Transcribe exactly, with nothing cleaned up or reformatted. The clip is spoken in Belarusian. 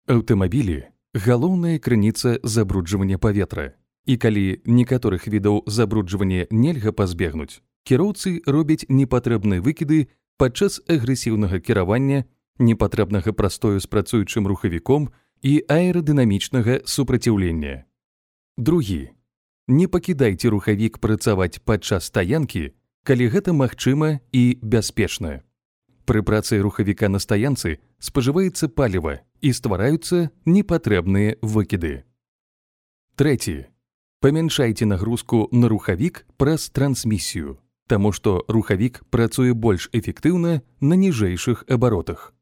Аўтамабілі – галоўная крыніца забруджвання паветра. І калі некаторых відаў забруджвання нельга пазбегнуць, кіроўцы робяць непатрэбныя выкіды падчас агрэсіўнага кіравання, непатрэбнага прастою з працуючым рухавіком і аэрадынамічнага супраціўлення. Другі. Не пакідайце рухавік працаваць падчас стаянкі, калі гэта магчыма і бяспечна. Пры працы рухавіка на стаянцы спажываецца паліва і ствараюцца непатрэбныя выкіды. Трэці. Памяншайце нагрузку на рухавік праз трансмісію, таму што рухавік працуе больш эфектыўна на ніжэйшых абаротах.